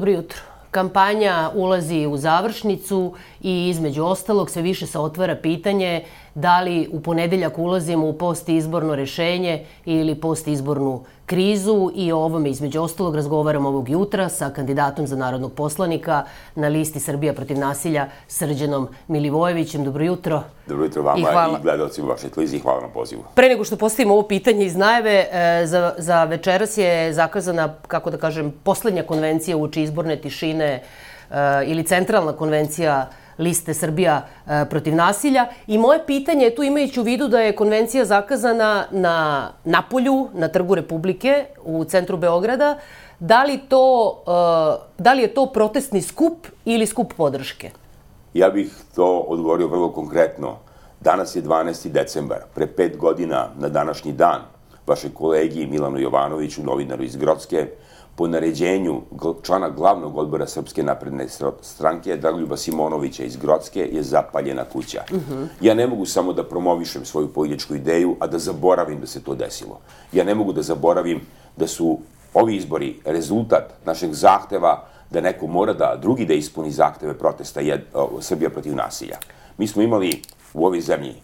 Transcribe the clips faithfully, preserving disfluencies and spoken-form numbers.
Dobro jutro. Kampanja ulazi u završnicu i između ostalog sve više se otvara pitanje da li u ponedeljak ulazimo u postizborno rešenje ili postizbornu krizu i o ovome između ostalog razgovaram ovog jutra sa kandidatom za narodnog poslanika na listi Srbija protiv nasilja Srđanom Milivojevićem. Dobro jutro. Dobro jutro vama i, hvala... i gledalcima vaše televizije i hvala na pozivu. Pre nego što postavimo ovo pitanje iz najave, za, za večeras je zakazana, kako da kažem, poslednja konvencija uoči izborne tišine ili centralna konvencija liste Srbija protiv nasilja. I moje pitanje je tu, imajući u vidu da je konvencija zakazana na Napolju, na Trgu Republike, u centru Beograda, da li, to, da li je to protestni skup ili skup podrške? Ja bih to odgovorio vrlo konkretno. Danas je dvanaesti decembar. Pre pet godina, na današnji dan, vašeg kolegi Milanu Jovanoviću, novinaru iz Grocke, po naređenju člana glavnog odbora Srpske napredne stranke, Dragoljuba Simonovića iz Grocke, je zapaljena kuća. Uh-huh. Ja ne mogu samo da promovišem svoju političku ideju, a da zaboravim da se to desilo. Ja ne mogu da zaboravim da su ovi izbori rezultat našeg zahteva da neko mora da drugi da ispuni zahteve protesta jed, o, Srbija protiv nasilja. Mi smo imali u ovoj zemlji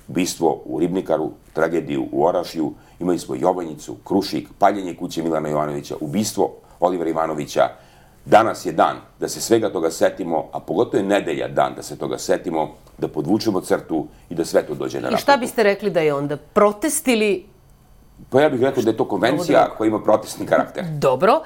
ubistvo u Ribnikaru, tragediju u Orašju, imali smo Jovanjicu, Krušik, paljenje kuće Milana Jovanovića, ubistvo Olivera Ivanovića. Danas je dan da se svega toga setimo, a pogotovo je nedelja dan da se toga setimo, da podvučemo crtu i da sve to dođe na naplatu. I šta biste rekli da je onda? Protest ili... Pa ja bih rekao da je to konvencija koja ima protestni karakter. Dobro.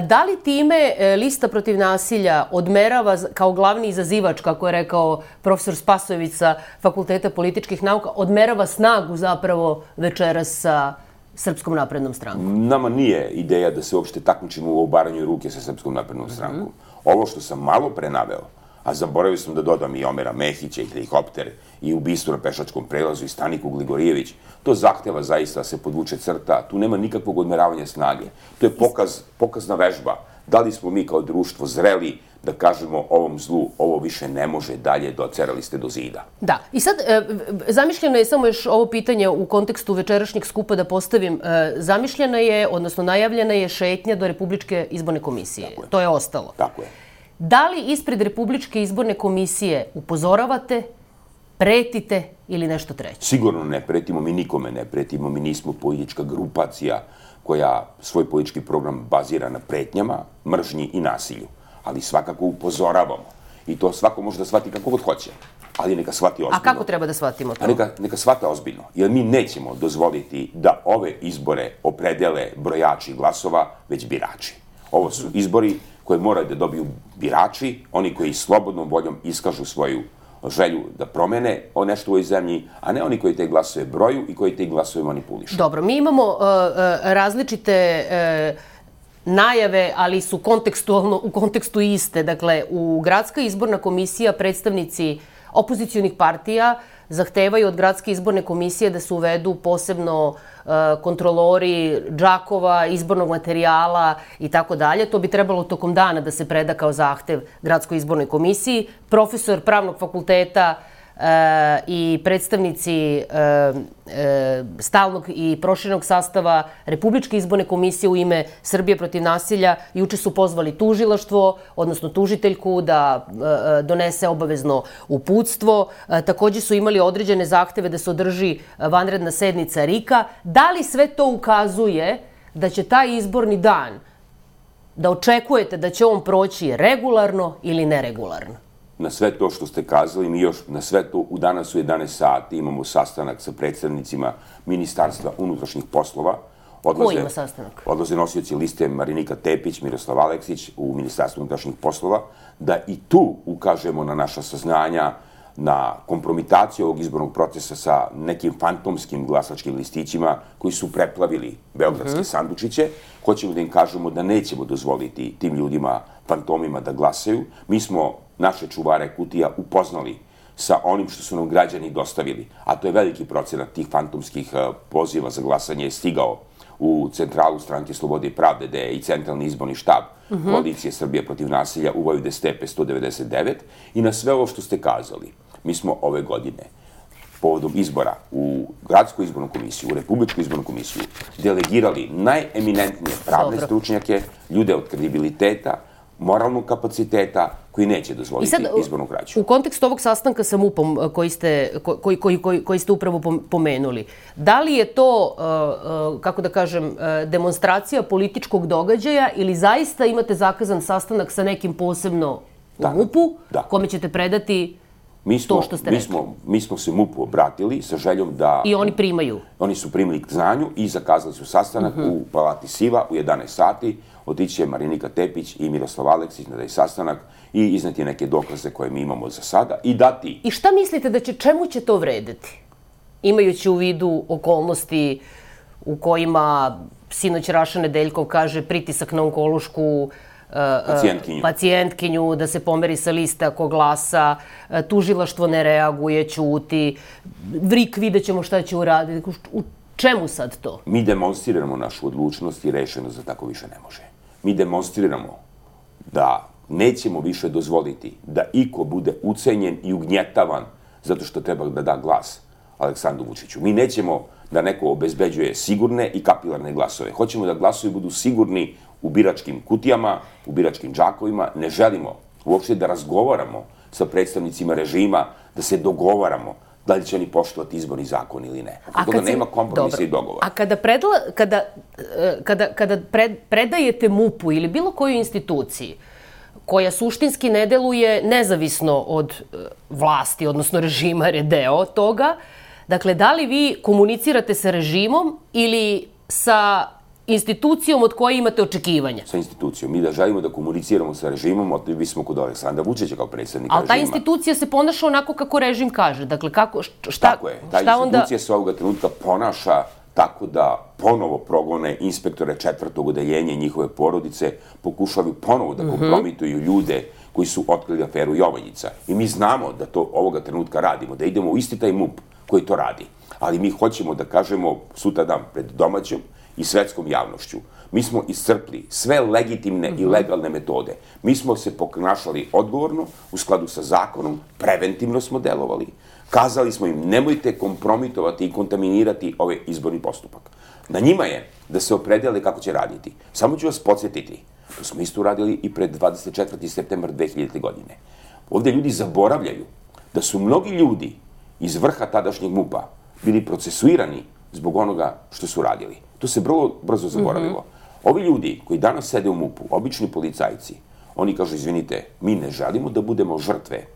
Da li time lista protiv nasilja odmerava kao glavni izazivač, kako je rekao profesor Spasojević sa Fakulteta političkih nauka, odmerava snagu zapravo večeras sa Srpskom naprednom strankom? Nama nije ideja da se uopšte takmičimo u obaranju ruke sa Srpskom naprednom strankom. Mm-hmm. Ovo što sam malo pre naveo, a zaboravio sam da dodam i Omera Mehića i helikopter i ubistvo na pešačkom prelazu i Staniku Gligorijević, to zahteva zaista da se podvuče crta, tu nema nikakvog odmeravanja snage. To je pokaz, pokazna vežba. Da li smo mi kao društvo zreli da kažemo ovom zlu, ovo više ne može dalje, docerali ste do zida. Da. I sad, e, zamišljeno je samo još ovo pitanje u kontekstu večerašnjeg skupa da postavim. E, zamišljena je, odnosno najavljena je šetnja do Republičke izborne komisije. Tako je. To je ostalo. Tako je. Da li ispred Republičke izborne komisije upozoravate, pretite ili nešto treće? Sigurno ne pretimo, mi nikome ne pretimo, mi nismo politička grupacija koja svoj politički program bazira na pretnjama, mržnji i nasilju. Ali svakako upozoravamo. I to svako može da shvati kako god hoće. Ali neka shvati ozbiljno. A kako treba da shvatimo to? A neka, neka shvata ozbiljno. Jer mi nećemo dozvoliti da ove izbore opredele brojači glasova, već birači. Ovo su izbori koje moraju da dobiju birači, oni koji slobodnom voljom iskažu svoju želju da promene o nešto u ovoj zemlji, a ne oni koji te glasove broju i koji te glasove manipulišu. Dobro, mi imamo uh, uh, različite uh, najave, ali su kontekstualno, u kontekstu iste. Dakle, u Gradska izborna komisija predstavnici opozicionih partija zahtevaju od Gradske izborne komisije da se uvedu posebno uh, kontrolori džakova, izbornog materijala i tako dalje. To bi trebalo tokom dana da se preda kao zahtev Gradskoj izbornoj komisiji. Profesor pravnog fakulteta uh, i predstavnici uh, uh, stalnog i proširenog sastava Republičke izborne komisije u ime Srbije protiv nasilja juče su pozvali tužilaštvo, odnosno tužiteljku da uh, donese obavezno uputstvo. Uh, takođe su imali određene zahteve da se održi vanredna sednica RIK-a. Da li sve to ukazuje da će taj izborni dan, da očekujete da će on proći regularno ili neregularno? Na sve to što ste kazali, mi još na sve to u danas u jedanaest sati imamo sastanak sa predstavnicima Ministarstva unutrašnjih poslova. Odlaze, ko ima sastanak? Odlaze nosioci liste Marinika Tepić, Miroslav Aleksić u Ministarstvu unutrašnjih poslova, da i tu ukažemo na naša saznanja, na kompromitaciju ovog izbornog procesa sa nekim fantomskim glasačkim listićima koji su preplavili beogradske uh-huh. sandučiće. Hoćemo da im kažemo da nećemo dozvoliti tim ljudima, fantomima, da glasaju. Mi smo naše čuvare kutija upoznali sa onim što su nam građani dostavili, a to je veliki procenat tih fantomskih poziva za glasanje je stigao u centralu Stranke Slobode i Pravde, gde je i centralni izborni štab uh-huh. koalicije Srbije protiv nasilja u Vojvode Stepe sto devedeset devet. I na sve ovo što ste kazali, mi smo ove godine povodom izbora u Gradsku izbornu komisiju, u Republičku izbornu komisiju, delegirali najeminentnije pravne Dobro. stručnjake, ljude od kredibiliteta, moralnog kapaciteta koji neće dozvoliti izbornu krađu. U kontekstu ovog sastanka sa MUP-om koji ste, koji, koji, koji, koji ste upravo pomenuli, da li je to, kako da kažem, demonstracija političkog događaja ili zaista imate zakazan sastanak sa nekim posebno u MUP-u, kome ćete predati to što ste rekli? Mi smo, mi smo se MUP-u obratili sa željom da... I oni primaju? Oni su primili k znanju i zakazali su sastanak u Palati Siva u jedanaest sati. Otići će Marinika Tepić i Miroslav Aleksić na taj sastanak i izneti neke dokaze koje mi imamo za sada i dati... I šta mislite da će, čemu će to vredeti? Imajući u vidu okolnosti u kojima sinoć Raša Nedeljkov kaže pritisak na onkološku pacijentkinju. pacijentkinju, da se pomeri sa liste ako glasa, tužilaštvo ne reaguje, ćuti, Vrik vidjet ćemo šta će uraditi. U čemu sad to? Mi demonstriramo našu odlučnost i rešenost da tako više ne može. Mi demonstriramo da nećemo više dozvoliti da iko bude ucenjen i ugnjetavan zato što treba da da glas Aleksandru Vučiću. Mi nećemo da neko obezbeđuje sigurne i kapilarne glasove. Hoćemo da glasovi budu sigurni u biračkim kutijama, u biračkim džakovima. Ne želimo uopšte da razgovaramo sa predstavnicima režima, da se dogovaramo da li će oni poštovati izborni zakon ili ne. Oko toga nema kompromisa i dogovora. A kada, predla, kada, kada, kada pred, predajete MUP-u ili bilo kojoj instituciji koja suštinski ne deluje nezavisno od vlasti, odnosno režima, jer je deo toga, dakle, da li vi komunicirate sa režimom ili sa institucijom od koje imate očekivanja? Sa institucijom. Mi da želimo da komuniciramo sa režimom, otišli smo kod Aleksandra Vučića kao predsjednika režima. Ali ta institucija se ponaša onako kako režim kaže. Dakle, kako, šta, tako je. Ta institucija se ovoga trenutka ponaša tako da ponovo progone inspektore četvrtog odeljenja i njihove porodice, pokušavaju ponovo da kompromituju ljude koji su otkrili aferu Jovanjica. I mi znamo da to ovoga trenutka radimo, da idemo u isti taj MUP koji to radi. Ali mi hoćemo da kažemo sutra dan pred domaćom i svetskom javnošću. Mi smo iscrpli sve legitimne i legalne metode. Mi smo se ponašali odgovorno, u skladu sa zakonom, preventivno smo delovali. Kazali smo im, nemojte kompromitovati i kontaminirati ovaj izborni postupak. Na njima je da se opredele kako će raditi. Samo ću vas podsjetiti, to smo isto uradili i pred dvadeset četvrti septembar dve hiljadite. godine. Ovde ljudi zaboravljaju da su mnogi ljudi iz vrha tadašnjeg MUP-a bili procesuirani zbog onoga što su radili. To se vrlo brzo zaboravilo. Ovi ljudi koji danas sede u MUP-u, obični policajci, oni kažu, izvinite, mi ne želimo da budemo žrtve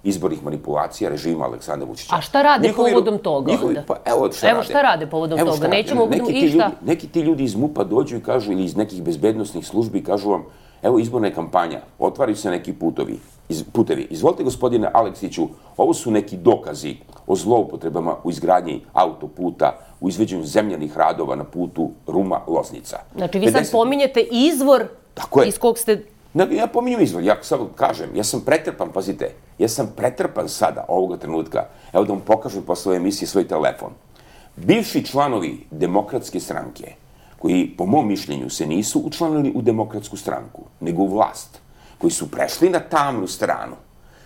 izbornih manipulacija režima Aleksandra Vučića. A šta rade povodom toga onda? Pa evo šta rade. Evo šta rade povodom toga. Nećemo i šta? Neki ti ljudi iz MUP-a dođu i kažu, ili iz nekih bezbednosnih službi i kažu vam, evo izborna je kampanja, otvaraju se neki putovi, putevi. Izvolite, gospodine Aleksiću, ovo su neki dokazi o zloupotrebama u izgradnji autoputa, u izveđenju zemljanih radova na putu Ruma-Loznica. Znači, vi sad pominjete izvor iz kog ste... Ja pominjem izvor, ja samo kažem, ja sam pretrpan, pazite, ja sam pretrpan sada, ovoga trenutka, evo da vam pokažem posle ove emisije svoj telefon. Bivši članovi Demokratske stranke, koji po mom mišljenju se nisu učlanili u Demokratsku stranku, nego u vlast, koji su prešli na tamnu stranu,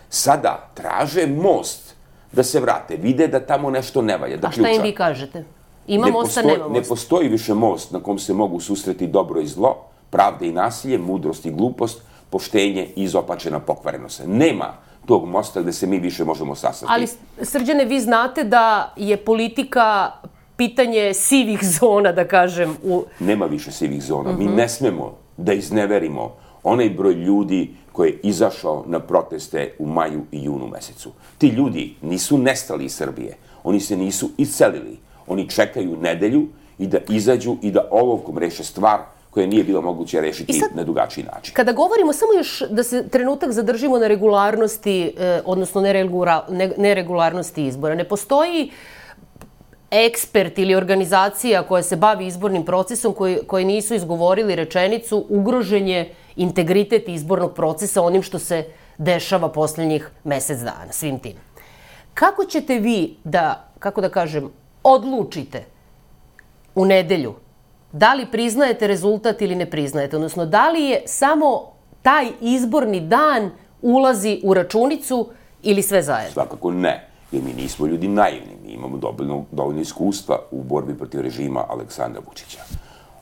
sada traže most da se vrate, vide da tamo nešto ne valja, da ključa. A šta im vi kažete? Ima mosta, nema mosta? Ne postoji više most na kom se mogu susreti dobro i zlo, pravda i nasilje, mudrost i glupost, poštenje i izopačena pokvarenost. Nema tog mosta gde se mi više možemo sastati. Ali, Srđane, vi znate da je politika pitanje sivih zona, da kažem. U... Nema više sivih zona. Mi ne smemo da izneverimo onaj broj ljudi koji je izašao na proteste u maju i junu mesecu. Ti ljudi nisu nestali iz Srbije. Oni se nisu iscelili. Oni čekaju nedelju i da izađu i da olovkom reše stvar koje nije bilo moguće rešiti na drugačiji način. Kada govorimo, samo još da se trenutak zadržimo na regularnosti, odnosno neregularnosti izbora. Ne postoji ekspert ili organizacija koja se bavi izbornim procesom koji nisu izgovorili rečenicu ugrožen je integritet izbornog procesa onim što se dešava posljednjih mesec dana, svim tim. Kako ćete vi da, kako da kažem, odlučite u nedelju da li priznajete rezultat ili ne priznajete? Odnosno, da li je samo taj izborni dan ulazi u računicu ili sve zajedno? Svakako ne, jer mi nismo ljudi naivni. Mi imamo dovoljno iskustva u borbi protiv režima Aleksandra Vučića.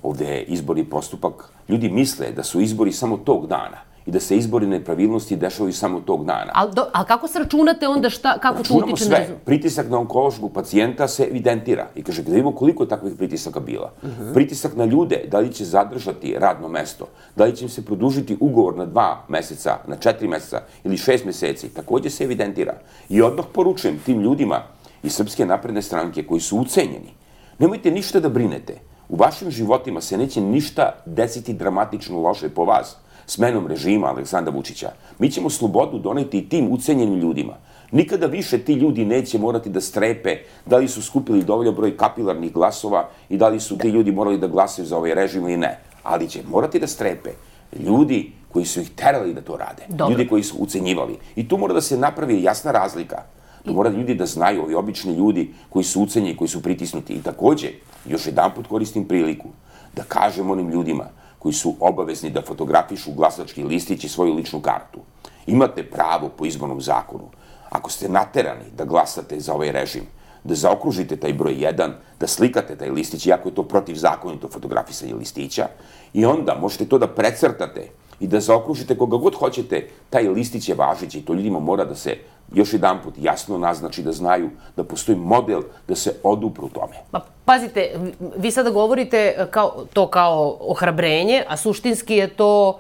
Ovde je izborni postupak. Ljudi misle da su izbori samo tog dana i da se izbori nepravilnosti dešavaju samo tog dana. Ali kako se računate onda šta, kako to utiče na rezultat? Pritisak na onkološkog pacijenta se evidentira i kaže, da vidimo koliko je takvih pritisaka bila. Pritisak na ljude, da li će zadržati radno mesto, da li će im se produžiti ugovor na dva meseca, na četiri meseca ili šest meseci, takođe se evidentira. I odmah poručujem tim ljudima iz Srpske napredne stranke koji su ucenjeni, nemojte ništa da brinete. U vašim životima se neće ništa desiti dramatično loše po vas smenom režima Aleksandra Vučića. Mi ćemo slobodu doneti i tim ucenjenim ljudima. Nikada više ti ljudi neće morati da strepe da li su skupili dovoljan broj kapilarnih glasova i da li su ti ljudi morali da glasaju za ovaj režim ili ne. Ali će morati da strepe ljudi koji su ih terali da to rade. Ljudi koji su ucenjivali. I tu mora da se napravi jasna razlika. Tu mora ljudi da znaju, ovi obični ljudi koji su ucenjeni, koji su pritisnuti. I takođe, još jedan put koristim priliku da kažem onim ljudima koji su obavezni da fotografišu glasački listić i svoju ličnu kartu. Imate pravo po izbornom zakonu, ako ste naterani da glasate za ovaj režim, da zaokružite taj broj jedan, da slikate taj listić, iako je to protivzakonito fotografisanje listića, i onda možete to da precrtate i da zaokružite koga god hoćete, taj listić je važeći i to ljudima mora da se još jedan put jasno naznači, da znaju da postoji model da se odupru tome. Pa pazite, vi sada govorite to kao ohrabrenje, a suštinski je to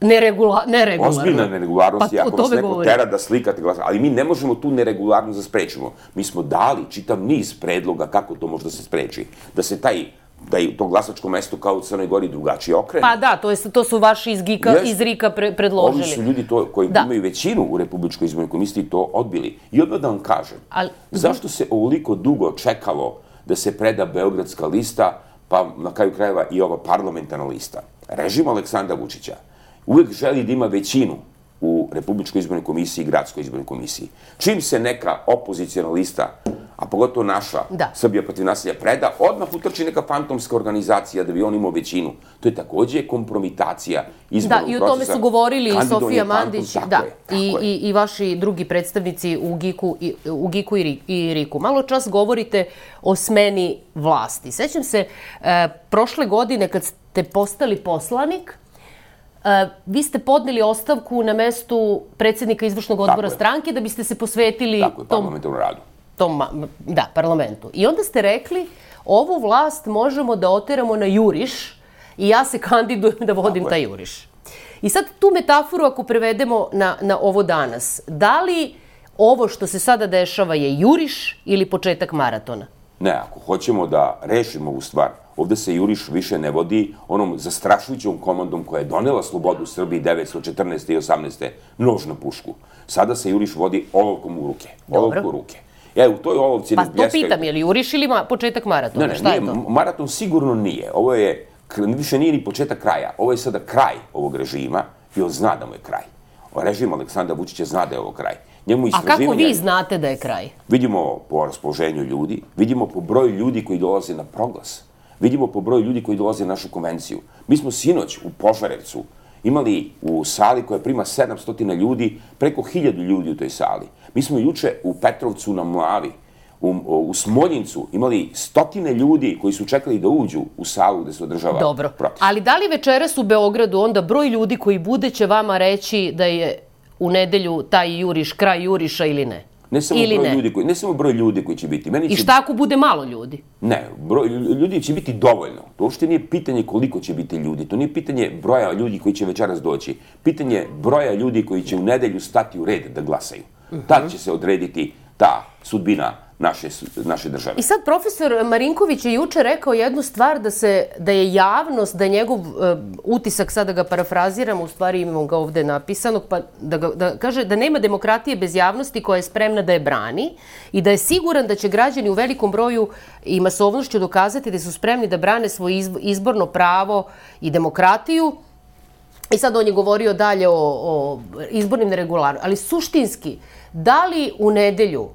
neregularno. Ozbiljna neregularnost je ako vas neko tera da slikate glas, ali mi ne možemo tu neregularnost da sprečimo. Mi smo dali čitav niz predloga kako to može da se spreči. Da se taj da je to glasačko mesto kao u Crnoj Gori drugačije okrene. Pa da, to su vaši iz RIK-a predložili. Ovi su ljudi koji imaju većinu u Republičkoj izbornoj komisiji to odbili. I odmah da vam kažem, zašto se ovoliko dugo čekalo da se preda Beogradska lista, pa na kraju krajeva i ova parlamentarna lista? Režim Aleksandra Vučića uvek želi da ima većinu u Republičkoj izbornoj komisiji i Gradskoj izbornoj komisiji. Čim se neka opozicijna lista, a pogotovo naša, Srbija protiv nasilja, preda, odmah utrči neka fantomska organizacija da bi on imao većinu. To je takođe kompromitacija izbornog procesa. Da, i o tome su govorili i Sofija Mandić i vaši drugi predstavnici u GIK-u i RIK-u. Malo čas govorite o smeni vlasti. Sećam se, prošle godine kad ste postali poslanik, vi ste podneli ostavku na mestu predsjednika izvršnog odbora stranke da biste se posvetili tom... Tako je, parlamentarnom radu. Da, parlamentu. I onda ste rekli, ovu vlast možemo da oteramo na juriš i ja se kandidujem da vodim taj juriš. I sad tu metaforu ako prevedemo na ovo danas, da li ovo što se sada dešava je juriš ili početak maratona? Ne, ako hoćemo da rešimo ovu stvar, ovde se juriš više ne vodi onom zastrašujućom komandom koja je donela slobodu Srbiji devetsto četrnaeste i osamnaeste nož na pušku. Sada se juriš vodi olovkom u ruke. Olovku u ruke. E, u toj olovci ne bljeskaju... Pa to pitam, je li juriš ili početak maratona? Ne, ne, nije, maraton sigurno nije. Ovo je, više nije ni početak kraja. Ovo je sada kraj ovog režima i on zna da mu je kraj. Režim Aleksandra Vučića zna da je ovo kraj. A kako vi znate da je kraj? Vidimo po raspoloženju ljudi, vidimo po broju ljudi koji dolaze na proglas, vidimo po broju ljudi koji dolaze na našu konvenciju. Mi smo sinoć u Požarevcu imali u sali koja prima sedamsto ljudi, preko hiljadu ljudi u toj sali. Mi smo juče u Petrovcu na Mlavi, u Smoljincu imali stotine ljudi koji su čekali da uđu u salu gde se održava protest. Dobro, ali da li večeras u Beogradu onda broj ljudi koji bude će vama reći da je u nedelju taj juriš, kraj juriša ili ne? Ne samo broj ljudi koji, ne samo broj ljudi koji će biti. I šta ako bude malo ljudi? Ne, broj ljudi će biti dovoljno. To uopšte nije pitanje koliko će biti ljudi. To nije pitanje broja ljudi koji će večeras doći. Pitanje broja ljudi koji će u nedelju stati u red da glasaju. Tad će se odrediti ta sudbina naše države. I sad profesor Marinković je juče rekao jednu stvar da je javnost, da je njegov utisak, sad da ga parafraziram, u stvari imamo ga ovde napisanog, pa da kaže da nema demokratije bez javnosti koja je spremna da je brani i da je siguran da će građani u velikom broju i masovnošću dokazati da su spremni da brane svoje izborno pravo i demokratiju. I sad on je govorio dalje o izbornim neregularnostima, ali suštinski, da li u nedelju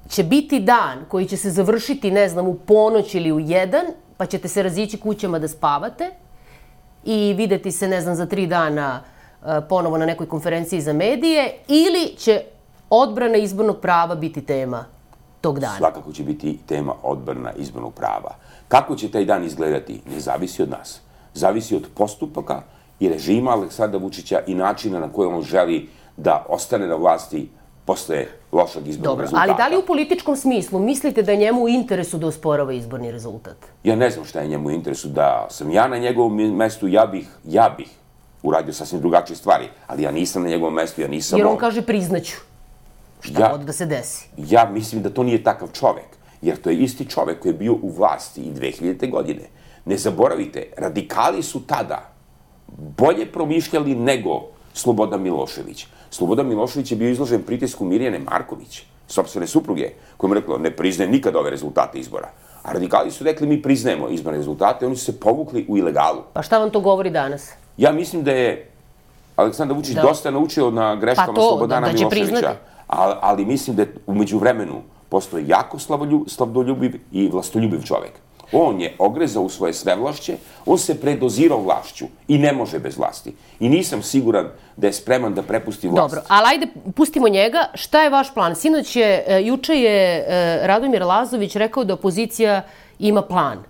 će biti dan koji će se završiti, ne znam, u ponoć ili u jedan, pa ćete se razići kućama da spavate i videti se, ne znam, za tri dana ponovo na nekoj konferenciji za medije, ili će odbrana izbornog prava biti tema tog dana? Svakako će biti tema odbrana izbornog prava. Kako će taj dan izgledati, ne zavisi od nas. Zavisi od postupaka i režima Aleksandra Vučića i načina na koji on želi da ostane na vlasti posle lošeg izbornog rezultata. Ali da li u političkom smislu mislite da je njemu u interesu da osporava izborni rezultat? Ja ne znam šta je njemu u interesu. Da sam ja na njegovom mestu, ja bih, ja bih uradio sasvim drugačije stvari, ali ja nisam na njegovom mestu, ja nisam... Jer on kaže priznaću. Šta god da se desi? Ja mislim da to nije takav čovek, jer to je isti čovek koji je bio u vlasti i dve hiljadite. godine. Ne zaboravite, radikali su tada bolje promišljali nego Slobodan Milošević. Slobodan Milošević je bio izložen pritisku Mirjane Marković, sopstvene supruge, koja mu rekla ne priznaje nikad ove rezultate izbora. A radikali su rekli mi priznajemo izborne rezultate, oni su se povukli u ilegalu. Pa šta vam to govori danas? Ja mislim da je Aleksandar Vučić dosta naučio na greškama Slobodana Miloševića, ali mislim da je umeđu vremenu postoji jako slavdoljubiv i vlastoljubiv čovek. On je ogrezao u svoje svevlašće, on se predozirao vlašću i ne može bez vlasti. I nisam siguran da je spreman da prepusti vlast. Dobro, ali ajde, pustimo njega. Šta je vaš plan? Sinoć je, juče je Radomir Lazović rekao da opozicija ima plan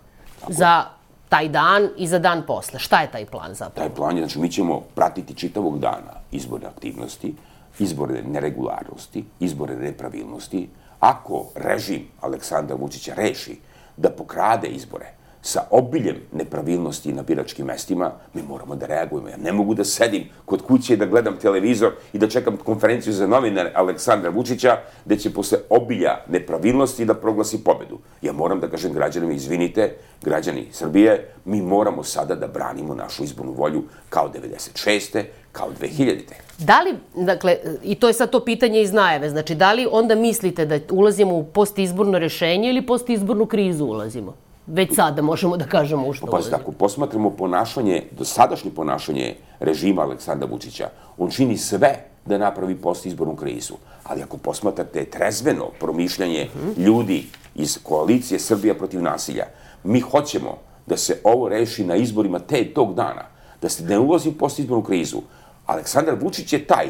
za taj dan i za dan posle. Šta je taj plan zapravo? Taj plan je, znači mi ćemo pratiti čitavog dana izborne aktivnosti, izborne neregularnosti, izborne nepravilnosti. Ako režim Aleksandra Vučića reši da pokrade izbore sa obiljem nepravilnosti na biračkim mestima, mi moramo da reagujemo. Ja ne mogu da sedim kod kuće i da gledam televizor i da čekam konferenciju za novinare Aleksandra Vučića, gde će posle obilja nepravilnosti da proglasi pobedu. Ja moram da kažem građanima, izvinite, građani Srbije, mi moramo sada da branimo našu izbornu volju kao devedeset šeste. kao dve hiljadite. Da li, dakle, i to je sad to pitanje iz najave, znači da li onda mislite da ulazimo u postizborno rešenje ili postizbornu krizu ulazimo? Već sada možemo da kažemo u što ulazimo. Pa ako posmatramo ponašanje, dosadašnje ponašanje režima Aleksandra Vučića, on čini sve da napravi postizbornu krizu. Ali ako posmatrate trezveno promišljanje ljudi iz koalicije Srbija protiv nasilja, mi hoćemo da se ovo reši na izborima te tog dana, da se ne ulazi u postizbornu krizu. Aleksandar Vučić je taj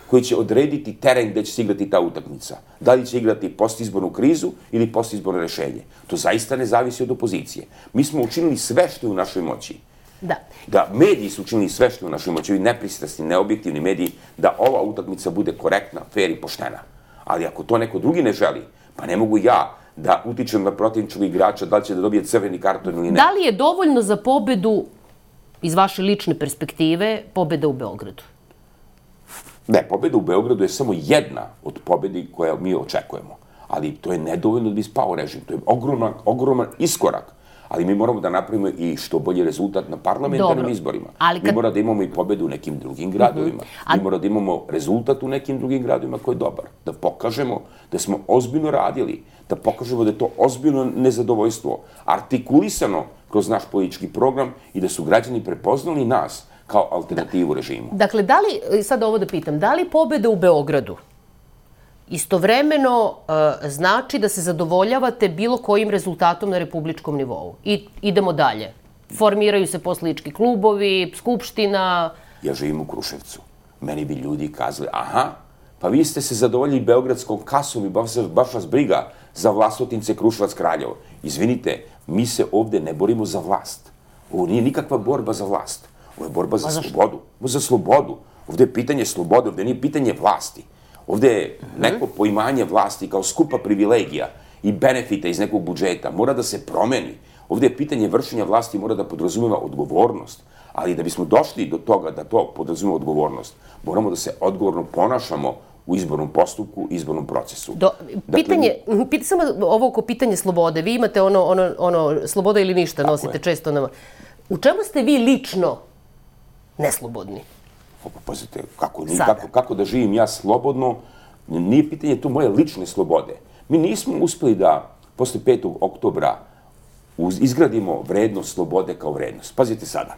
koji će odrediti teren gde će se igrati ta utakmica. Da li će igrati postizbornu krizu ili postizborno rešenje. To zaista ne zavisi od opozicije. Mi smo učinili sve što je u našoj moći. Da. Da mediji su učinili sve što je u našoj moći, ovi nepristrasni, neobjektivni mediji, da ova utakmica bude korektna, fair i poštena. Ali ako to neko drugi ne želi, pa ne mogu ja da utičem na protivničkog igrača da li će da dobije crveni karton ili ne. Da li je dovoljno za pobedu, iz vaše lične perspektive, pobeda u Beogradu? Ne, pobeda u Beogradu je samo jedna od pobedi koje mi očekujemo. Ali to je nedovoljno da bi spao režim. To je ogroman, ogroman iskorak. Ali mi moramo da napravimo i što bolji rezultat na parlamentarnim izborima. Mi moramo da imamo i pobedu u nekim drugim gradovima. Mi moramo da imamo rezultat u nekim drugim gradovima koji je dobar. Da pokažemo da smo ozbiljno radili, da pokažemo da je to ozbiljno nezadovoljstvo, artikulisano kroz naš politički program i da su građani prepoznali nas kao alternativu režimu. Dakle, da li, sad ovo da pitam, da li pobeda u Beogradu istovremeno znači da se zadovoljavate bilo kojim rezultatom na republičkom nivou? I idemo dalje. Formiraju se poslanički klubovi, skupština... Ja živim u Kruševcu. Meni bi ljudi kazali, aha, pa vi ste se zadovoljili beogradskom kasom i baš vas briga za Vlasotince, Kruševac, Kraljevo. Izvinite, mi se ovde ne borimo za vlast. Ovo nije nikakva borba za vlast. Ovo je borba za slobodu. Ovo je za slobodu. Ovde je pitanje slobode, ovde nije pitanje vlasti. Ovde je neko poimanje vlasti kao skupa privilegija i benefita iz nekog budžeta mora da se promeni. Ovde je pitanje vršenja vlasti mora da podrazumeva odgovornost. Ali da bismo došli do toga da to podrazumeva odgovornost, moramo da se odgovorno ponašamo u izbornom postupku, izbornom procesu. Pitanje, samo ovo oko pitanja slobode. Vi imate ono sloboda ili ništa, nosite često nama. U čemu ste vi lično neslobodni? Pazite, kako da živim ja slobodno, nije pitanje tu moje lične slobode. Mi nismo uspeli da posle petog oktobra izgradimo vrednost slobode kao vrednost. Pazite sada,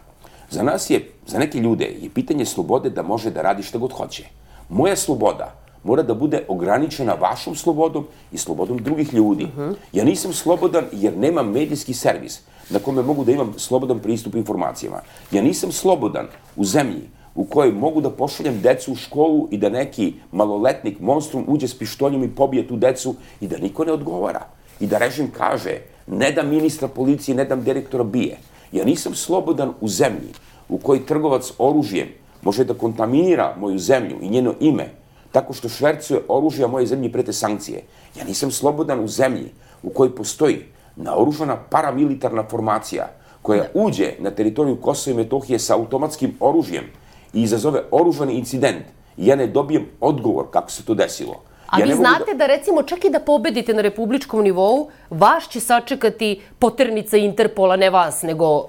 za nas je, za neke ljude je pitanje slobode da može da radi šta god hoće. Moja sloboda mora da bude ograničena vašom slobodom i slobodom drugih ljudi. Ja nisam slobodan jer nemam medijski servis na kome mogu da imam slobodan pristup informacijama. Ja nisam slobodan u zemlji u kojoj mogu da pošaljem decu u školu i da neki maloletnik, monstrum, uđe s pištoljem i pobije tu decu i da niko ne odgovara. I da režim kaže, ne dam ministra policije, ne dam direktora bije. Ja nisam slobodan u zemlji u kojoj trgovac oružjem može da kontaminira moju zemlju i njeno ime, tako što švercuje oružje, a moje zemlji prete sankcije. Ja nisam slobodan u zemlji u kojoj postoji naoružana paramilitarna formacija koja uđe na teritoriju Kosova i Metohije sa automatskim oružjem i izazove oružani incident i ja ne dobijem odgovor kako se to desilo. A vi znate da, recimo, čak i da pobedite na republičkom nivou, vas će sačekati poternica Interpola, ne vas, nego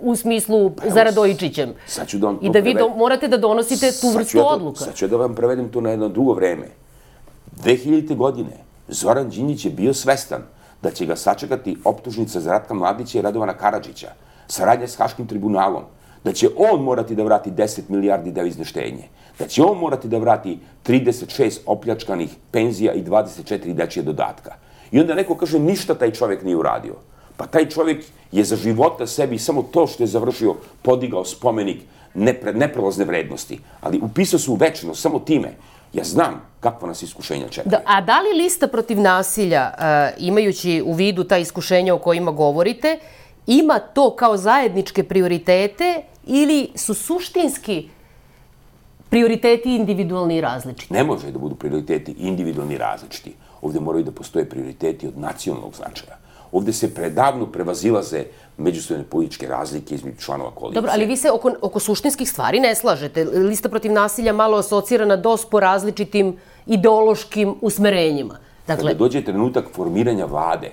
u smislu za Radojičićem. I da vi morate da donosite tu vrstu odluka. Sad ću da vam prevedem to na jedno drugo vreme. dve hiljadite. godine Zoran Đinđić je bio svestan da će ga sačekati optužnica za Ratka Mladića i Radovana Karadžića, saradnja s Haškim tribunalom, da će on morati da vrati deset milijardi devizne štednje, da će on morati da vrati trideset šest opljačkanih penzija i dvadeset četiri dečije dodatka. I onda neko kaže ništa taj čovjek nije uradio. Pa taj čovjek je za života sebi samo to što je završio podigao spomenik neprelazne vrednosti. Ali upisao se u večnost samo time. Ja znam kakva nas iskušenja čekaju. A da li lista protiv nasilja, imajući u vidu ta iskušenja o kojima govorite, ima to kao zajedničke prioritete ili su suštinski prioriteti individualni i različiti? Ne može da budu prioriteti individualni i različiti. Ovde moraju da postoje prioriteti od nacionalnog značaja. Ovde se predavno prevazilaze međusobne političke razlike između članova koalicije. Dobro, ali vi se oko, oko suštinskih stvari ne slažete. Lista protiv nasilja malo asocira na dos po različitim ideološkim usmerenjima. Dakle, kada dođe trenutak formiranja vlade,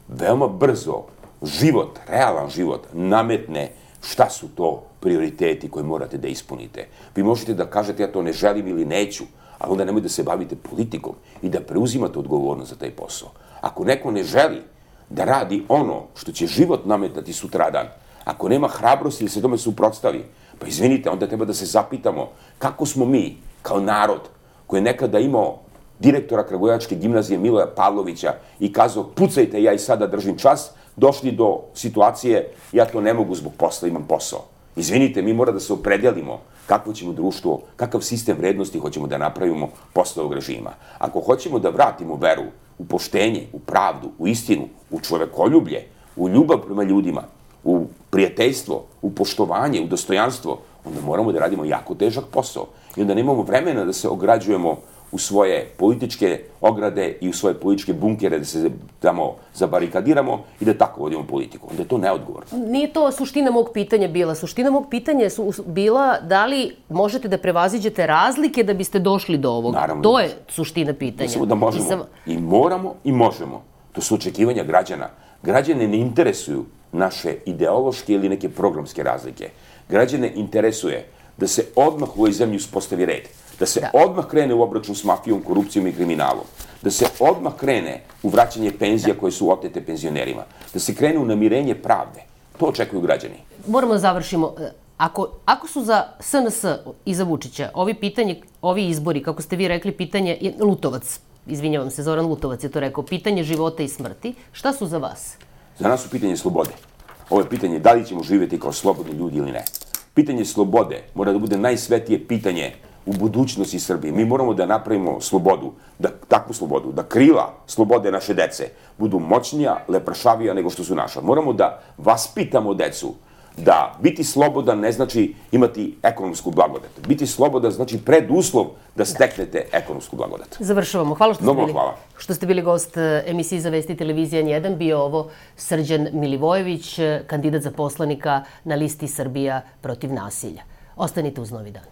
veoma brzo život, realan život, nametne šta su to prioriteti koje morate da ispunite. Vi možete da kažete ja to ne želim ili neću, ali onda nemoj da se bavite politikom i da preuzimate odgovornost za taj posao. Ako neko ne želi da radi ono što će život nametati sutradan, ako nema hrabrosti da se tome suprotstavi, pa izvinite, onda treba da se zapitamo kako smo mi, kao narod, koji je nekada imao direktora Kragujevačke gimnazije Miloja Pavlovića i kazao pucajte, ja i sada držim čas, došli do situacije ja to ne mogu zbog posla, imam posao. Izvinite, mi mora da se opredelimo kakvo ćemo društvo, kakav sistem vrednosti hoćemo da napravimo posle ovog režima. Ako hoćemo da vratimo veru u poštenje, u pravdu, u istinu, u čovekoljublje, u ljubav prema ljudima, u prijateljstvo, u poštovanje, u dostojanstvo, onda moramo da radimo jako težak posao. I onda nemamo vremena da se ograđujemo u svoje političke ograde i u svoje političke bunkere, da se tamo zabarikadiramo i da tako vodimo politiku. Onda je to neodgovorno. Nije to suština mog pitanja bila. Suština mog pitanja je bila da li možete da prevaziđete razlike da biste došli do ovoga. Naravno. To je suština pitanja. Mislimo da možemo. I moramo i možemo. To su očekivanja građana. Građane ne interesuju naše ideološke ili neke programske razlike. Građane interesuje da se odmah u ovoj zemlji uspostavi red. Da se odmah krene u obračun s mafijom, korupcijom i kriminalom. Da se odmah krene u vraćanje penzija koje su otete penzionerima. Da se krene u namirenje pravde. To očekuju građani. Moramo da završimo. Ako, ako su za S N S i za Vučića ovi, pitanje, ovi izbori, kako ste vi rekli, pitanje je Lutovac, izvinjavam se, Zoran Lutovac je to rekao, pitanje života i smrti, šta su za vas? Za nas su pitanje slobode. Ovo je pitanje da li ćemo živjeti kao slobodni ljudi ili ne. Pitanje slobode mora da bude najsvetije pitanje u budućnosti Srbije. Mi moramo da napravimo slobodu, da, takvu slobodu, da krila slobode naše dece budu moćnija, lepršavija nego što su naša. Moramo da vaspitamo decu da biti slobodan ne znači imati ekonomsku blagodat. Biti slobodan znači preduslov da steknete ekonomsku blagodat. Završavamo. Hvala što ste, Mnogo bili, hvala. što ste bili gost emisiji za Vesti televizije N jedan. Bio ovo Srđan Milivojević, kandidat za poslanika na listi Srbija protiv nasilja. Ostanite uz Novi dan.